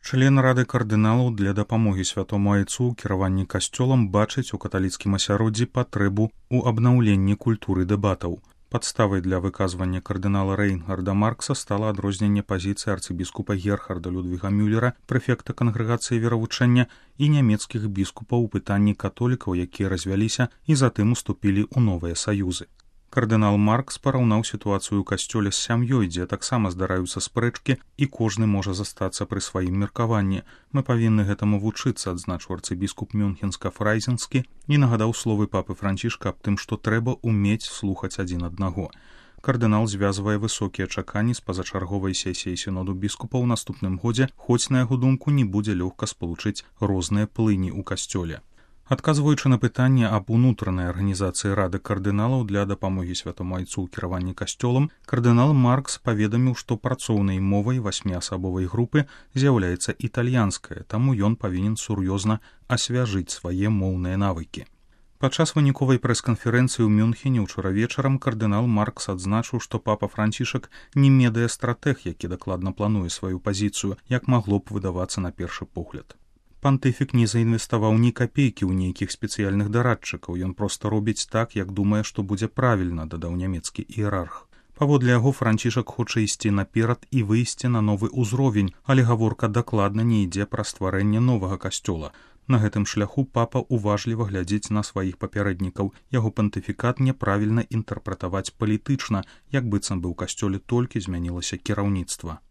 Член Рады кардыналаў для дапамогі святому айцу ў кіраванні касцёлам бачыць у каталіцкім асяроддзі патрэбу ў абнаўленні культуры дэбатаў. Падставай для выказвання кардынала Рейнгарда Маркса стала адрозненне пазіцыі арцыбіскупа Герхарда Людвіга Мюллера, прэфекта кангрэгацыі веравучэння, і нямецкіх біскупаў у пытанні католікаў, якія развяліся і затым уступілі ў новыя саюзы. Кардынал Маркс параўнаў сітуацыю ў касцёле з сям'ёй, дзе таксама здараюцца спрэчкі і кожны можа застацца пры сваім меркаванні. Мы павінны гэтаму вучыцца, адзначыў арцыбіскуп Мюнхенска-Фрайзенскі і нагадаў словы папы Францішка аб тым, што трэба ўмець слухаць адзін аднаго. Кардынал звязвае высокія чаканні з пазачарговай сесіяй сіноду біскупаў у наступным годзе, хоць, на яго думку, не будзе лёгка спалучыць розныя плыні ў касцёле. Адказваючы на пытанне аб унутранай арганізацыі Рады кардыналаў для дапамогі святому айцу ў кіраванні касцёлам, кардынал Маркс паведаміў, што працоўнай мовай 8-асабовай групы з'яўляецца італьянская, таму ён павінен сур'ёзна асвяжыць свае моўныя навыкі. Падчас выніковай прэс-канферэнцыі ў Мюнхене ўчора вечарам кардынал Маркс адзначыў, што папа Францішак не медыа-стратэг, які дакладна плануе сваю пазіцыю, як магло б выдавацца на першы погляд. Пантыфік не заінвеставаў ні капейкі ў нейкіх спецыяльных дарадчыкаў, ён проста робіць так, як думае, што будзе правільна, дадаў нямецкі іерарх. Паводле яго Францішак хоча ісці наперад і выйсці на новы ўзровень, але гаворка дакладна не ідзе пра стварэнне новага касцёла. На гэтым шляху папа уважліва глядзіць на сваіх папярэднікаў. Яго пантыфікат няправільна інтэрпрэтаваць палітычна, як быццам бы ў касцёле толькі змянілася кіраўніцтва.